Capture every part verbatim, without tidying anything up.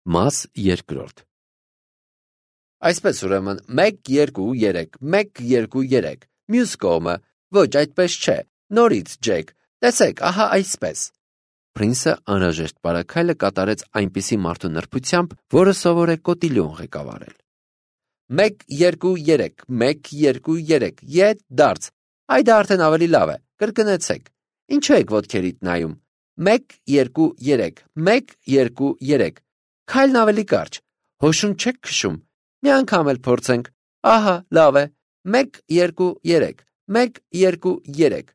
Մաս երկրորդ։ Այսպես ուրեմն մեկ, երկու, երեք, մեկ, երկու, երեք, մյուս կողմը, ոչ այդպես չէ, նորից Ջեք, տեսեք, ահա այսպես։ Պրինսը անհրաժեշտ բարակայլը կատարեց այնպիսի մարդու նրբությամբ, որը սովոր է կոտիլյոն ղեկավարել։ Մեկ, երկու, երեք, մեկ, երկու, երեք, ետ, դարձ, այ դա արդեն ավելի լավ է, կրկնեցեք, ինչու եք ոտքերիդ նայում, մեկ, երկու, երեք, մեկ, երկու, երեք, քայլն ավելի կարճ, հոշուն չեք քշում, մի անգամ էլ փորձենք, ահա, լավ է, մեկ, երկու, երեք, մեկ, երկու, երեք։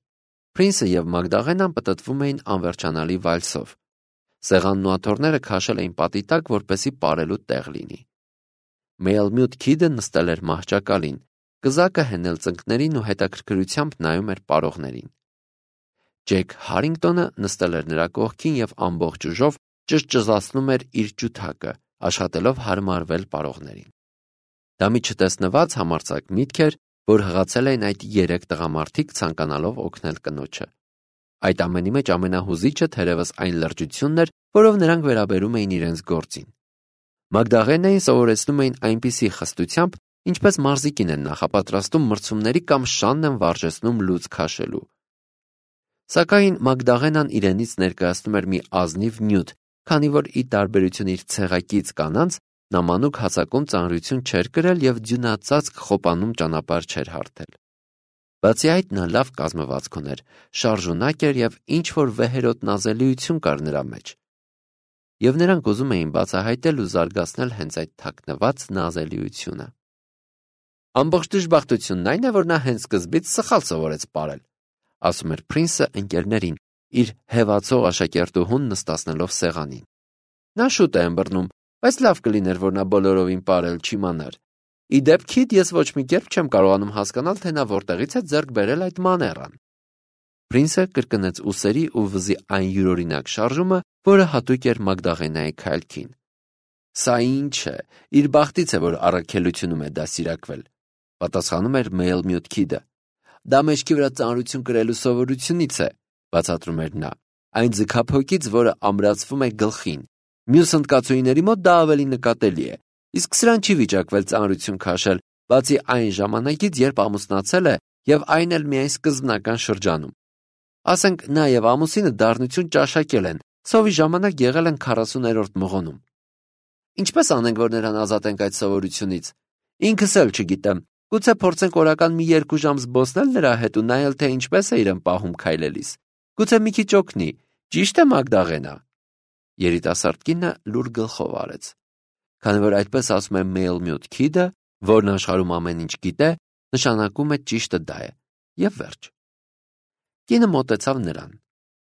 Պրինսը և Մագդաղենան պտտվում էին անվերջանալի վալսով։ Սեղանն ու աթոռները քաշել էին պատի տակ, որպեսզի պարելու տեղ լինի։ Մեյլմյուտ քիդը նստել էր մահճակալին, կզակը հենել ծնկներին ու հետաքրքրությամբ նայում էր պարողներին։ Ջեք Հարինգտոնը նստել էր նրա կողքին և ամբողջ ուժով ճզճզացնում էր իր ջութակը, աշխատելով հարմարվել պարողներին։ Դա մի չտեսնված համարձակ միտք էր, որ հղացել էին այդ երեք տղամարդիկ ցանկանալով օգնել կնոջը։ Այդ ամենի մեջ ամենահուզիչը թերևս այն լրջությունն էր, որով նրանք վերաբերում էին իրենց գործին։ Մագդաղենային սովորեցնում էին այնպիսի խստությամբ, ինչպես մարզիկին են նախապատրաստում մրցումների կամ շանն են վարժեցնում լուծ քաշելու։ Սակայն Մագդաղենան իրենից ներկայացնում էր մի ազնիվ նյութ, քանի որ ի տարբերություն իր ցեղակից կանանց, նա մանուկ հասակում ծանրություն չէր կրել և ձյունածածկ խոպանում ճանապարհ չէր հարթել։ Բացի այդ նա լավ կազմվածք ուներ, շարժունակ էր և ինչ-որ վեհերոտ նազելիություն կար նրա մեջ։ Եվ նրանք ուզում էին բացահայտել ու զարգացնել հենց այդ թաքնված նազելիությունը։ Ամբողջ դժբախտությունն այն է, որ նա հենց սկզբից սխալ սովորեց պարել, ասում էր Պրինսը ընկերներին, իր հևացող աշակերտուհուն նստացնելով սեղանին։ Նա շուտ է ըմբռնում, բայց լավ կլիներ, որ նա բոլորովին պարել չիմանար։ Ի դեպ, քիդ, ես ոչ մի կերպ չեմ կարողանում հասկանալ, թե նա որտեղից է ձեռք բերել այդ մաներան։ Պրինսը կրկնեց ուսերի ու վզի այն յուրօրինակ շարժումը, որը հատուկ էր Մագդաղենայի քայլքին։ Սա ինչ է, իր բախտից է, որ առաքելությունում է դասիրակվել, պատասխանում էր Մեյլմյուտ քիդը։ Դա մեջքի վրա ծանրություն կրելու սովորությունից է, բացատրում էր նա, այն ձգափոկից, որը ամրացվում է գլխին։ Մյուս հնդկացուիների մոտ դա ավելի նկատելի է, իսկ սրան չի վիճակվել ծանրություն քաշել, բացի այն ժամանակից, երբ ամուսնացել է և այն էլ միայն սկզբնական շրջանում։ Ասենք նա և ամուսինը դառնություն ճաշակել են, սովի ժամանակ եղել են քառասուներորդ մղոնում։ Ինչպես անենք, որ նրան ազատենք այդ սովորությունից։ Ինքս էլ չգիտեմ, գուցե փորձենք օրական մի երկու ժամ զբոսնել նրա հետ ու նայել, թե ինչպես է իրեն պահում քայլելիս։ Գուցե մի քիչ օգնի, ճիշտ է Մագդաղենա։ Երիտասարդ կինը լուր գլխով արեց։ Քանի որ այդպես ասում է Մեյլմյուտ քիդը, որն աշխարհում ամեն ինչ գիտե, նշանակում է ճիշտը դա է, և վերջ։ Կինը մոտեցավ նրան։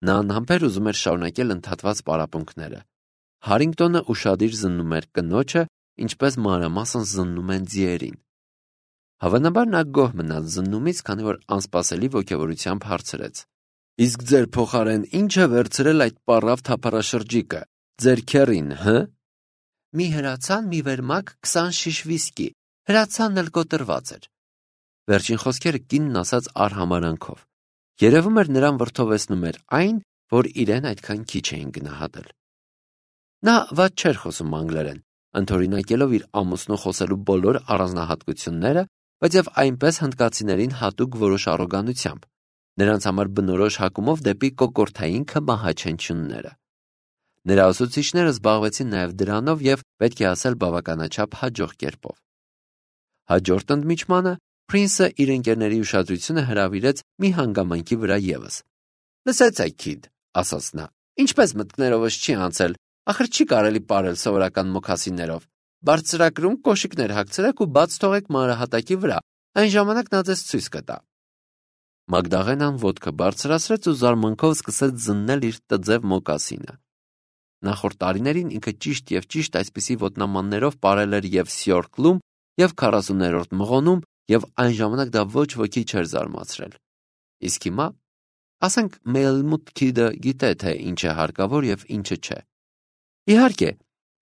Նա անհամբեր ուզում էր շարունակել ընդհատված պարապմունքները։ Հարինգտոնը ուշադիր զննում էր կնոջը, ինչպես մանրամասն զննում են ձիերին։ Հավանաբար նա գոհ մնաց զննումից, քանի որ անսպասելի ոգևորությամբ հարցրեց. Իսկ ձեր փոխարեն ի՞նչ է վերցրել այդ պառավ թափառաշրջիկը, ձեր քեռին, հը։ Մի հրացան, մի վերմակ, քսան շիշ վիսկի, հրացանն էլ կոտրված էր։ Վերջին խոսքերը կինն ասաց արհամարանքով։ Երևում էր նրան վրդովեցնում էր այն, որ իրեն այդքան քիչ էին գնահատել։ Նա վատ չէր խոսում անգլերեն, ընդօրինակելով իր ամուսնու խոսելու բոլոր առանձնահատկությունները, բայց և այնպես հնդկացիներին հատուկ որոշ առոգանությամբ, նրանց համար բնորոշ հակումով դեպի կոկորդային քմահաչենչյունները։ Նրա ուսուցիչները զբաղվեցին նաև դրանով և, պետք է ասել, բավականաչափ հաջող կերպով։ Հաջորդ ընդմիջմանը Պրինսը իր ընկերների ուշադրությունը հրավիրեց մի հանգամանքի վրա ևս։ Լսեցեք, քիդ, ասաց նա, ինչպես մտքներովս չի անցել, ախր չի կարելի պարել սովորական մոքասիններով։ Բարձրակրում կոշիկներ հագցրեք ու բաց թողեք մանրահատակի վրա, այն ժամանակ նա ձեզ ցույց կտա։ Մագդաղենան ոտքը բարձրացրեց ու զարմանքով սկսեց զննել իր տձև մոկասինը։ Նախորդ տարիներին ինքը ճիշտ և ճիշտ այսպիսի ոտնամաններով պարել էր և Սյորքլում, և քառասուներորդ մղոնում, և այն ժամանակ դա ոչ ոքի չէր զարմացրել։ Իսկ հիմա, ասենք, Մեյլմյուտ քիդը գիտե, թե ինչ է հարկավոր և ինչը չէ։ Իհարկե,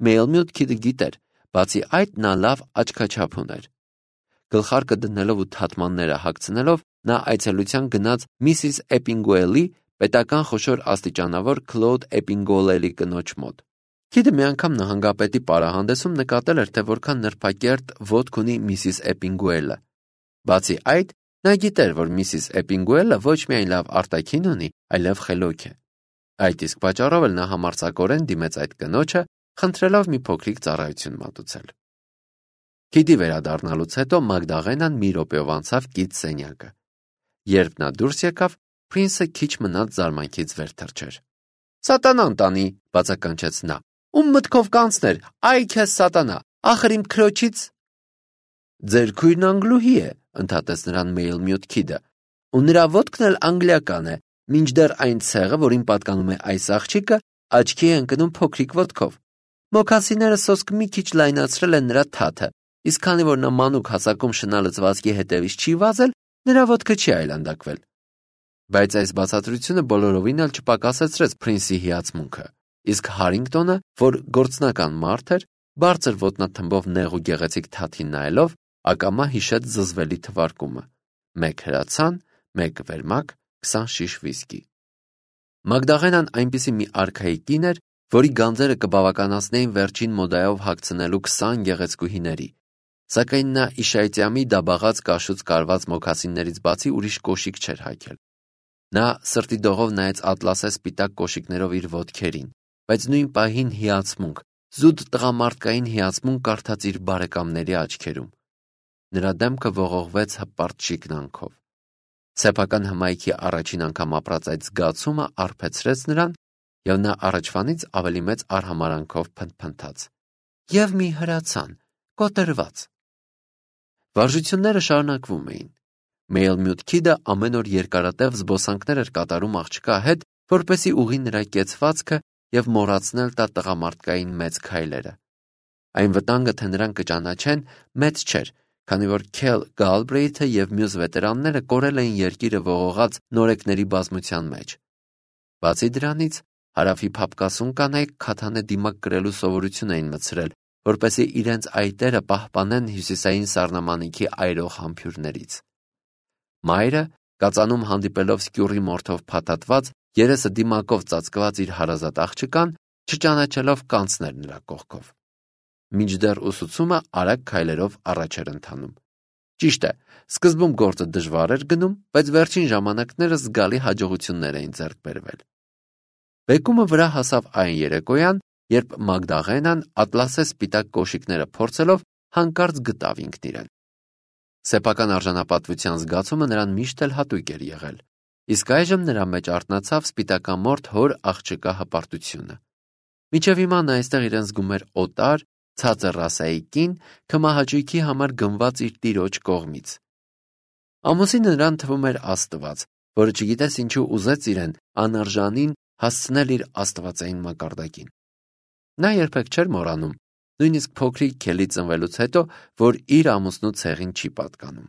Մեյլմյուտ քիդը գիտեր, բացի այդ նա լավ աչքաչափ ուներ։ Գլխարկը դնելով ու թաթմանները հագցնելով, նա այցելության գնաց Միսիս Էպինգուելի, պետական խոշոր աստիճանավոր Քլոդ Էպինգուելի կնոջ մոտ։ Քիդը մի անգամ նահանգապետի պարահանդեսում նկատել էր, թե որքան նրբակերտ ոտք ունի միսիս Էպինգուելը։ Բացի այդ, նա գիտեր, որ միսիս Էպինգուելը ոչ միայն լավ արտաքին ունի, այլև խելոք է։ Այդ իսկ պատճառով էլ նա համարձակորեն դիմեց այդ կնոջը, խնդրելով մի փոքրիկ ծառայություն մատուցել։ Քիդի վերադառնալուց հետո Մագդաղենան մի րոպեով անցավ կից սենյակը։ Երբ նա դուրս եկավ, Փրինսը քիչ մնաց զարմանքից վեր թռչեր։ «Սատանան տանի», բացականչեց նա։ «Ում մտքով կանցներ, այ քեզ սատանա, ախր իմ քրոջից»։ «Ձեր քույրն անգլուհի է», ընդհատեց նրան Մեյլմյուտ Քիդը, «ու նրա ոտքն էլ անգլիական է, մինչդեռ այն ցեղը, որին պատկանում է այս աղջիկը, աչքի է ընկնում փոքրիկ ոտքով։ Մոքասիները սոսկ մի քիչ լայնացրել են նրա թաթը, իսկ քանի որ նա մանուկ հասակում շնա լծվածքի հետևից չի վազել, նրա ոտքը չի այլանդակվել»։ Բայց այս բացատրությունը բոլորովին էլ չպակասեցրեց Փրինսի հիացմունքը, իսկ Հարինգտոնը, որ գործնական մարդ էր, բարձր ոտնաթմբով նեղ ու գեղեցիկ թաթին նայելով, ակամա հիշեց զզվելի թվարկումը. մեկ հրացան, մեկ վերմակ, քսան շիշ վիսկի։ Մագդաղենան այնպիսի մի արքայի կին էր, որի գանձերը կբավականացնեին վերջին մոդայով հագցնելու քսան գեղեցկուհիների, սակայն նա իշայծյամի դաբաղած կաշուց կարված մոքասիններից բացի ուրիշ կոշիկ չէր հագել։ Նա սրտի դողով նայեց ատլասե սպիտակ կոշիկներով իր ոտքերին, բայց նույն պահին հիացմունք, զուտ տղամարդկային հիացմունք կարդաց իր բարեկամների աչքերում։ Նրա դեմքը ողողվեց հպարտ շիկնանքով։ Սեփական հմայքի առաջին անգամ ապրած այդ զգացումը արբեցրեց նրան, և նա առաջվանից ավելի մեծ արհամարանքով փնթփնթաց. «Եվ մի հրացան, կոտրված»։ Վարժությունները շարունակվում էին։ Մեյլմյուտ Քիդը ամեն օր երկարատև զբոսանքներ էր կատարում աղջկա հետ, որպեսզի ուղղի նրա կեցվածքը և մոռացնել տա տղամարդկային մեծ քայլերը։ Այն վտանգը, թե նրան կճանաչեն, մեծ չէր, քանի որ Քել Գալբրեյթը և մյուս վետերանները կորել էին երկիրը ողողած նորեկների բազմության մեջ։ Բացի դրանից, հարավի փափկասուն կանայք քաթանե դիմակ կրելու սովորություն էին մտցրել, որպեսզի իրենց այտերը պահպանեն հյուսիսային սառնամանիքի այրող համբույրներից։ Մայրը, կածանում հանդիպելով սկյուռի մորթով փաթաթված, երեսը դիմակով ծածկված իր հարազատ աղջկան, չճանաչելով կանցներ նրա կողքով։ Մինչդեռ ուսուցումը արագ քայլերով առաջ էր ընթանում։ Ճիշտ է, սկզբում գործը դժվար էր գնում, բայց վերջին ժամանակներս զգալի հաջողություններ էին ձեռք բերվել։ Բեկումը վրա հասավ այն երեկոյան, երբ Մագդաղենան ատլասե սպիտակ կոշիկները փորձելով հանկարծ գտավ ինքն իրեն։ Սեփական արժանապատվության զգացումը նրան միշտ էլ հատուկ էր եղել, իսկ այժմ նրա մեջ արթնացավ սպիտակամորթ հոր աղջկա հպարտությունը։ Մինչև հիմա նա այստեղ իրեն զգում էր օտար, ցածր ռասայի կին, քմահաճույքի համար գնված իր տիրոջ կողմից։ Ամուսինը նրան թվում էր աստված, որը չգիտես ինչու ուզեց իրեն անարժանին հասցնել իր աստվածային մակարդակին։ Նա երբեք չէր մոռանում, նույնիսկ փոքրիկ Քելի ծնվելուց հետո, որ իր ամուսնու ցեղին չի պատկանում։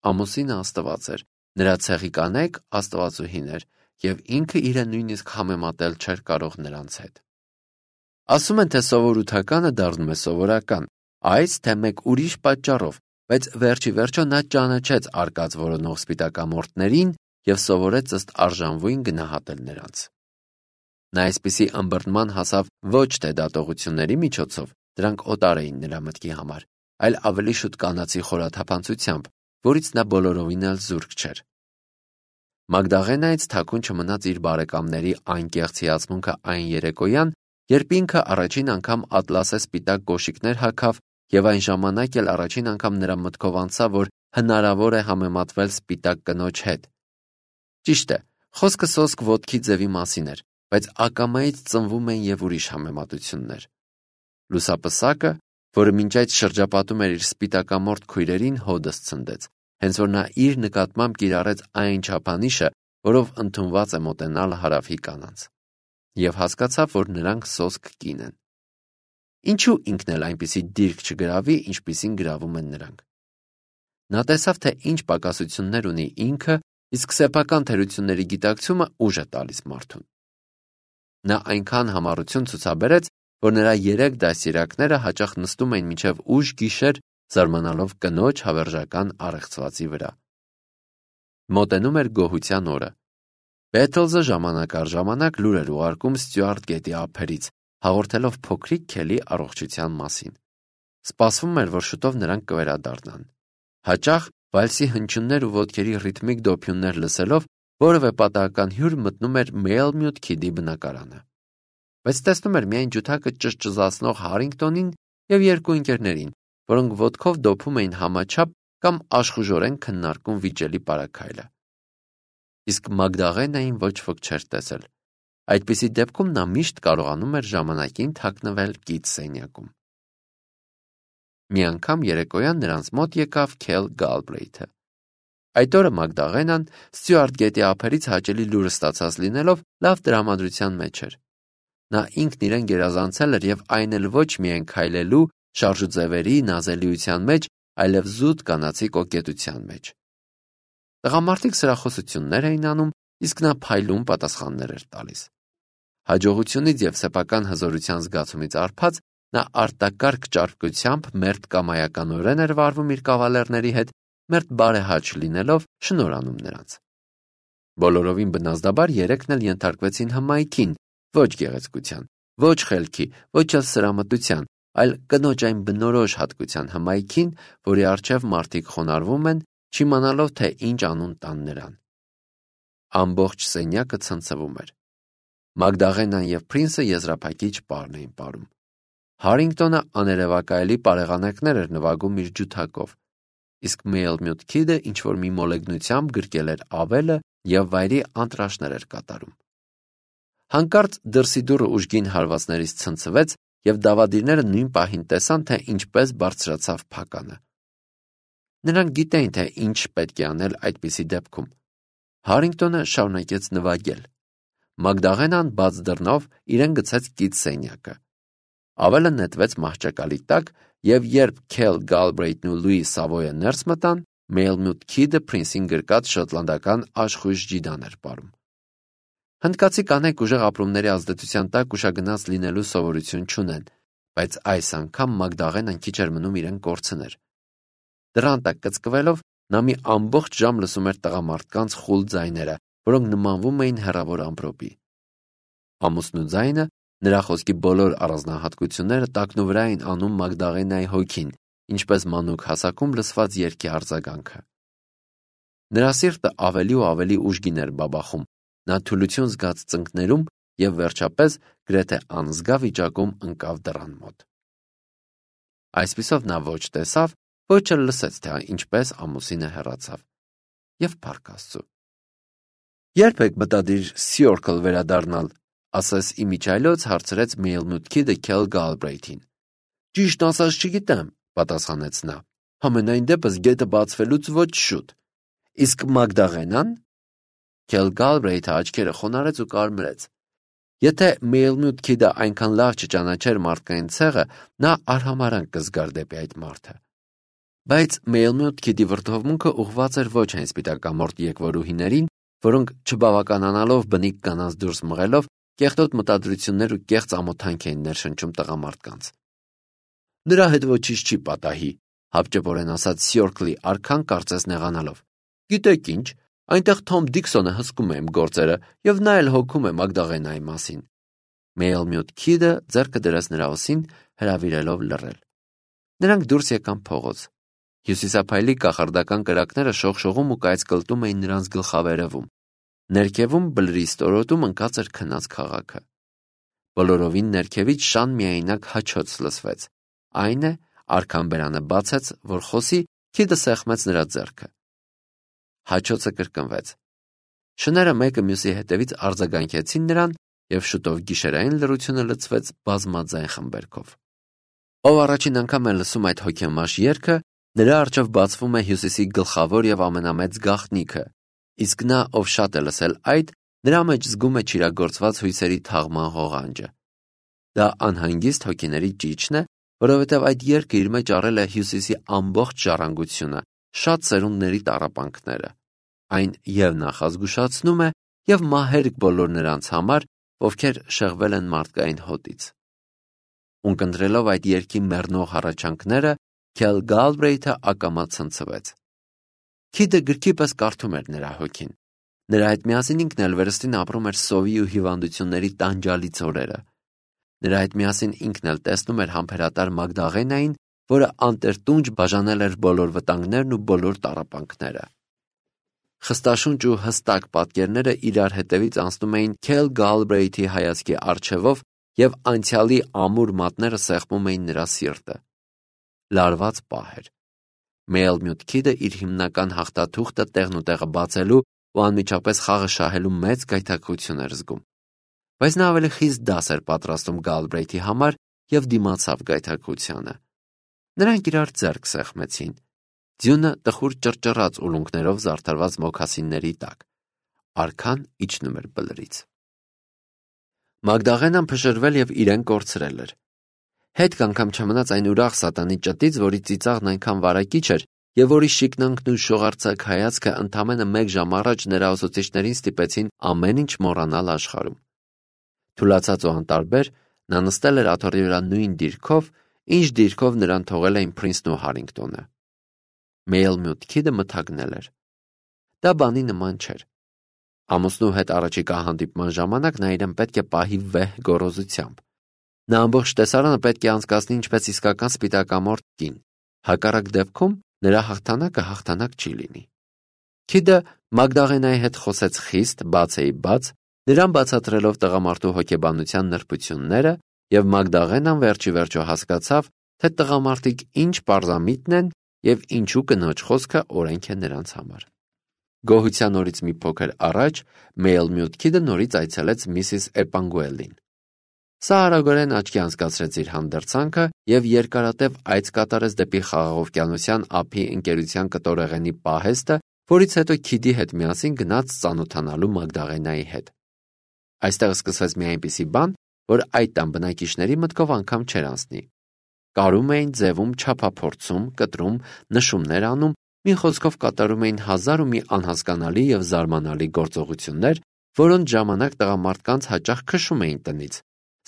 Ամուսինը աստված էր, նրա ցեղի կանայք աստվածուհիներ, և ինքը իրը նույնիսկ համեմատել չէր կարող նրանց հետ։ Ասում են, թե սովորութականը դառնում է սովորական, այս թե մեկ ուրիշ պատճառով, բայց վերջի վերջո նա ճանաչեց արկած որոնող սպիտակամորթներին և սովորեց ըստ արժանվույն գնահատել նրանց։ Նա այսպիսի ըմբռնման հասավ ոչ թե դատողությունների միջոցով, դրանք օտար էին նրա մտքի համար, այլ ավելի շուտ կանացի խորաթափանցությամբ, որից նա բոլորովին էլ զուրկ չէր։ Մագդաղենայից թաքուն չմնաց իր բարեկամների անկեղծ հիացմունքը այն երեկոյան, երբ ինքը առաջին անգամ ատլասե սպիտակ կոշիկներ հագավ և այն ժամանակ էլ առաջին անգամ նրա մտքով անցավ, որ հնարավոր է համեմատվել սպիտակ կնոջ հետ։ Ճիշտ է, խոսքը սոսկ ոտքի ձևի մասին էր, բայց ակամայից ծնվում են և ուրիշ համեմատություններ։ Լուսապսակը, որը մինչ այդ շրջապատում էր իր սպիտակամորթ քույրերին, հոդս ցնդեց, հենց որ նա իր նկատմամբ կիրառեց այն չափանիշը, որով ընդունված է մոտենալ հարավի կանանց, և հասկացավ, որ նրանք սոսկ կին են։ Ինչու ինքն էլ այնպիսի դիրք չգրավի, ինչպիսին գրավում են նրանք։ Նա տեսավ, թե ինչ պակասություններ ունի ինքը, իսկ սեփական թերությունների գիտակցումը ուժ է տալիս մարդուն։ Նա այնքան համառություն ցուցաբերեց, որ նրա երեք դաստիարակները հաճախ նստում էին մինչև ուշ գիշեր, զարմանալով կնոջ հավերժական առեղծվածի վրա։ Մոտենում էր գոհության օրը։ Բեթլզը ժամանակ առ ժամանակ լուր էր ուղարկում Ստյուարտ գետի ափերից, հաղորդելով փոքրիկ Քելի առողջության մասին։ Սպասվում էր, որ շուտով նրանք կվերադառնան։ Հաճախ վալսի հնչյուններ ու ոտքերի ռիթմիկ դոփյուններ լսելով որևէ պատահական հյուր մտնում էր Մելմյուտ Քիդի բնակարանը։ Բայց տեսնում էր միայն ջութակը ճզճզացնող Հարինգտոնին եւ երկու ընկերներին, որոնք ոտքով դոփում էին համաչափ կամ աշխուժորեն քննարկում վիճելի պարագայլը։ Իսկ Մագդաղենային ոչ ոք չէր տեսել։ Այդպիսի դեպքում նա միշտ կարողանում էր ժամանակին թաքնվել կից սենյակում։ Մի անգամ երեկոյան նրանց մոտ եկավ Քել Գալբրեյթը։ Այդ օրը Մագդաղենան Ստյուարտ Գետի ափերից հաճելի լուրը ստացած լինելով լավ տրամադրության մեջ էր։ Նա ինքն իրեն գերազանցել էր եւ այն էլ ոչ միայն քայլելու, շարժուձևերի, նազելիության մեջ, այլև զուտ կանացի կոկետության մեջ։ Տղամարդիկ սրախոսություններ էին անում, իսկ նա փայլուն պատասխաններ էր տալիս։ Հաջողությունից եւ սեփական հզորության զգացումից արբած նա արտակարգ ճարպկությամբ մերթ կամայականորեն էր վարվում իր կավալերների հետ, մերթ բարեհաճ լինելով շնորհանում նրանց։ Բոլորովին բնազդաբար երեքն էլ ենթարկվեցին հմայքին, ոչ գեղեցկության, ոչ խելքի, ոչ էլ սրամտության, այլ կնոջ այն բնորոշ հատկության հմայքին, որի առջև մարդիկ խոնարհվում են, չիմանալով թե ինչ անուն տան նրան։ Ամբողջ սենյակը ցնցվում էր։ Մագդաղենան եւ Փրինսը եզրափակիչ պարն էին ապարում։ Հարինգտոնը աներևակայելի պարեղանակներ էր նվագում իր ջութակով, իսկ Մելմյուտ Քիդը ինչ-որ մի մոլեգնությամբ գրկել էր ավելը եւ վայրի անտրաշներ էր կատարում։ Հանկարծ դրսի դուռը ուժգին հարվածներից ցնցվեց եւ դավադիրները նույն պահին տեսան, թե ինչպես բարձրացավ փականը։ Նրանք գիտեին, թե ինչ պետք է անել այդպիսի դեպքում։ Հարինգտոնը շարունակեց նվագել։ Մագդաղենան բաց դռնով իրեն գցեց կից սենյակը։ Ավելը նետվեց մահճակալի տակ, եւ երբ Քել Գալբրեյթն ու Լուի Սավոյը ներս մտան, Մելմյուտ Քիդը Փրինսին գրկած շոտլանդական աշխույժ ջիդան էր պարում։ Հնդկացի կանայք ուժեղ ապրումների ազդեցության տակ ուշագնաց լինելու սովորություն չունեն, բայց այս անգամ Մագդաղենան քիչ էր մնում իրեն կորցներ։ Դռան տակ կծկվելով նա մի ամբողջ ժամ լսում էր տղամարդկանց խուլ ձայները, որոնք նմանվում էին հեռավոր ամպրոպի։ Ամուսնու ձայնը, նրա խոսքի բոլոր առանձնահատկությունները տակնուվրա էին անում Մագդաղենայի հոգին, ինչպես մանուկ հասակում լսված երգի արձագանքը։ Նրա սիրտը ավելի ու ավելի ուժգին էր բաբախում, նա թուլություն զգաց ծնկներում եւ վերջապես գրեթե անզգա վիճակում ընկավ դռան մոտ։ Այսպիսով նա ոչ տեսավ, ոչ էլ լսեց, թե ինչպես ամուսինը հեռացավ եւ փառք Աստծո։ Երբ եք մտադիր Սյորքլ վերադառնալ, ասես իմիջայլոց հարցրեց Մելմյուտ Քիդը Քել Գալբրեյթին։ Ճիշտ ասած չգիտեմ, պատասխանեց նա։ Համենայն դեպս գետը բացվելուց ոչ շուտ։ Իսկ Մագդաղենան? Քել Գալբրեյթը աչքերը խոնարհեց ու կարմրեց։ Եթե Մելմյուտ Քիդը այնքան լավ չճանաչեր մարդկային ցեղը, նա արհամարհանք կզգար դեպի այդ մարդը։ Բայց Մելմյուտ Քիդի վրդովմունքը ուղղված էր ոչ այն սպիտակամորտ եկվորուհիներին, որոնք չբավականանալով բնիկ կանանց դուրս մղելով կեղտոտ մտադրություններ ու կեղծ ամոթանք էին ներշնչում տղամարդկանց։ Նրա հետ ոչինչ չի պատահի, հապճեպորեն ասաց Սյորքլի արքան կարծես նեղանալով։ Գիտեք ինչ, այնտեղ Թոմ Դիքսոնը հսկում է իմ գործերը եւ նա էլ հոգում է Մագդաղենայի մասին։ Մելմյուտ Քիդը ձեռքը դրեց նրա ուսին, հրավիրելով լռել։ Նրանք դուրս եկան փողոց։ Հյուսիսափայլի կախարդական կրակները շողշողում ու կայծկլտում էին նրանց գլխավերևում։ Ներքևում բլրի ստորոտում ընկած էր քնած քաղաքը։ Բոլորովին ներքևից շան միայնակ հաչոց լսվեց։ Այն է, արքան բերանը բացեց, որ խոսի, Քիդը սեղմեց նրա ձեռքը։ Հաչոցը կրկնվեց։ Շները մեկը մյուսի հետևից արձագանքեցին նրան, եւ շուտով գիշերային լռությունը լցվեց բազմաձայն խմբերքով։ Ով առաջին անգամ է լսում այդ հոգեմաշ երգը, նրա առջև բացվում է Հյուսիսի գլխավոր եւ ամենամեծ գաղտնիքը, իսկ նա, ով շատ է լսել այդ, նրա մեջ զգում է չիրագործված հույսերի թաղման ղողանջը։ Դա անհանգիստ հոգիների ճիչն է, որովհետև այդ երգը իր մեջ առել է Հյուսիսի ամբողջ ժառանգությունը, շատ սերունդների տառապանքները։ Այն եւ նախազգուշացնում է եւ մահերք բոլոր նրանց համար, ովքեր շեղվել են մարդկային հոտից։ Ունկնդրելով այդ երգի մեռնող հառաչանքները, Քել Գալբրեյթը ակամա ցնցվեց։ Քիդը գրքի պես կարդում էր նրա հոգին։ Նրա հետ միասին ինքն էլ վերստին ապրում էր սովի ու հիվանդությունների տանջալից օրերը։ Նրա հետ միասին ինքն էլ տեսնում էր համբերատար Մագդաղենային, որը անտերտունջ բաժանել էր բոլոր վտանգներն ու բոլոր տառապանքները։ Խստաշունչ ու հստակ պատկերները իրար հետևից անցնում էին Քել Գալբրեյթի հայացքի առջևով և անցյալի ամուր մատները սեղմում էին նրա սիրտը։ Լարված պահ էր։ Մելմյուտ Քիդը իր հիմնական հաղթաթուղթը տեղն ու տեղը բացելու ու անմիջապես խաղը շահելու մեծ գայթակղություն էր զգում։ Բայց նա ավելի խիստ դաս էր պատրաստում Գալբրեյթի համար և դիմացավ գայթակղությանը։ Նրանք իրար ձեռք սեղմեցին։ Ձյունը տխուր ճռճռաց ուլունքներով զարդարված մոքասինների տակ։ Արքան իջնում էր բլրից։ Մագդաղենան փշրվել և իրեն կորցրել էր։ Հետք անգամ չմնաց այն ուրախ սատանի ճտից, որի ծիծաղն այնքան վարակիչ էր և որի շիկնանքն ու շողարցակ հայացքը ընդամենը մեկ ժամ առաջ նրա ուսուցիչներին ստիպեցին ամեն ինչ մոռանալ աշխարհում։ Թուլացած ու անտարբեր, նա նստել էր աթոռի վրա նույն դիրքով, ինչ դիրքով նրան թողել էին Փրինսն ու Հարինգտոնը։ Մելմյուտ Քիդը մթագնել էր։ Դա բանի նման չէր։ Ամուսնու հետ առաջիկա հանդիպման ժամանակ նա իրեն պետք է պահի վեհ գոռոզությամբ։ Նա ամբողջ տեսարանը պետք է անցկացնի ինչպես իսկական սպիտակամորթ կին։ Հակառակ դեպքում նրա հաղթանակը հաղթանակ չի լինի։ Քիդը Մագդաղենայի հետ խոսեց խիստ, բացեի բաց, նրան բացատրելով տղամարդու հոգեբանության նրբությունները, և Մագդաղենան վերջի վերջո հասկացավ, թե տղամարդիկ ինչ պարզամիտն են և ինչու կնոջ խոսքը օրենք է նրանց համար։ Գոհության օրից մի փոքր առաջ Մելմյուտ Քիդը նորից այցելեց Միսիս Էպանգուելին։ Սա արագորեն աչքի անցկացրեց իր հանդերձանքը և երկարատև այց կատարեց դեպի Խաղաղօվկիանոսյան ափի ընկերության կտորեղենի պահեստը, որից հետո Քիդի հետ միասին գնաց ծանոթանալու Մագդաղենայի հետ։ Այստեղ սկսվեց մի այնպիսի բան, որ այդ տան բնակիչների մտքով անգամ չէր անցնի։ Կարում էին, ձևում, չափափորձում, կտրում, նշումներ անում, մի խոսքով կատարում էին հազար ու մի անհասկանալի և զարմանալի գործողություններ, որոնց ժամանակ տղամարդկանց հաճախ քշում էին տնից։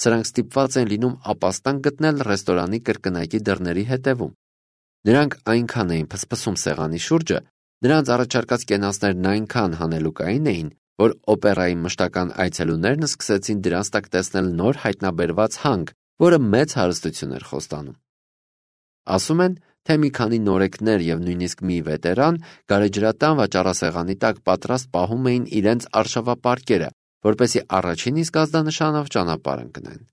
Սրանք ստիպված են լինում ապաստան գտնել ռեստորանի կրկնակի դռների հետևում։ Նրանք այնքան էին փսփսում սեղանի շուրջը, նրանց առաջարկած կենացներն այնքան հանելուկային էին, որ օպերայի մշտական այցելուներն սկսեցին դրանց տակ տեսնել նոր հայտնաբերված հանք, որը մեծ հարստություն էր խոստանում։ Ասում են, թե մի քանի նորեկներ և նույնիսկ մի վետերան գարեջրատան վաճառասեղանի տակ պատրաստ պահում էին իրենց արշավապարկերը, որպեսզի առաջին իսկ ազդանշանով ճանապարհ ընկնեն։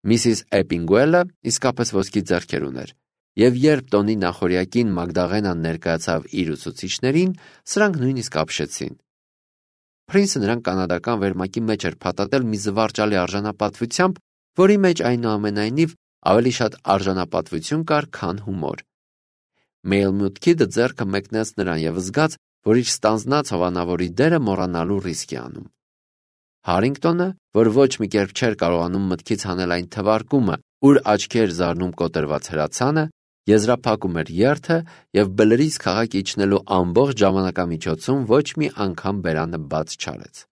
Միսիս Էպինգուելը իսկապես ոսկի ձեռքեր ուներ, և երբ տոնի նախօրյակին Մագդաղենան ներկայացավ իր ուսուցիչներին, սրանք նույնիսկ ապշեցին։ Փրինսը նրան կանադական վերմակի մեջ էր փաթաթել մի զվարճալի արժանապատվությամբ, որի մեջ այնուամենայնիվ ավելի շատ արժանապատվություն կար, քան հումոր։ Մելմյուտ Քիդը ձեռքը մեկնեց նրան և զգաց, որ իր ստանձնած հովանավորի դերը մոռանալու ռիսկ է անում։ Հարինգտոնը, որ ոչ մի կերպ չէր կարողանում մտքից հանել այն թվարկումը, ուր աչքի էր զարնում կոտրված հրացանը, եզրափակում էր երթը և բլրից քաղաք իջնելու ամբողջ ժամանակամիջոցում ոչ մի անգամ բերանը բաց չարեց։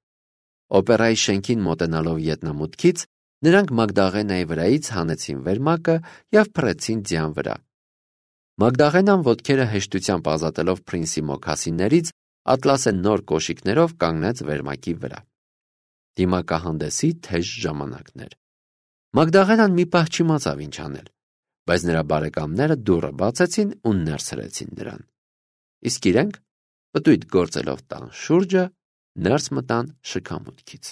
Օպերայի շենքին մոտենալով ետնամուտքից նրանք Մագդաղենայի վրայից հանեցին վերմակը և փռեցին ձյան վրա։ Մագդաղենան ոտքերը հեշտությամբ ազատելով Փրինսի մոքասիններից, ատլասե նոր կոշիկներով կանգնեց վերմակի վրա։ Դիմակահանդեսի թեժ ժամանակն էր։ Մագդաղենան մի պահ չիմացավ ինչ անել, բայց նրա բարեկամները դուռը բացեցին ու ներս հրեցին նրան։ Իսկ իրենք, պտույտ գործելով տան շուրջը, ներս մտան շքամուտքից։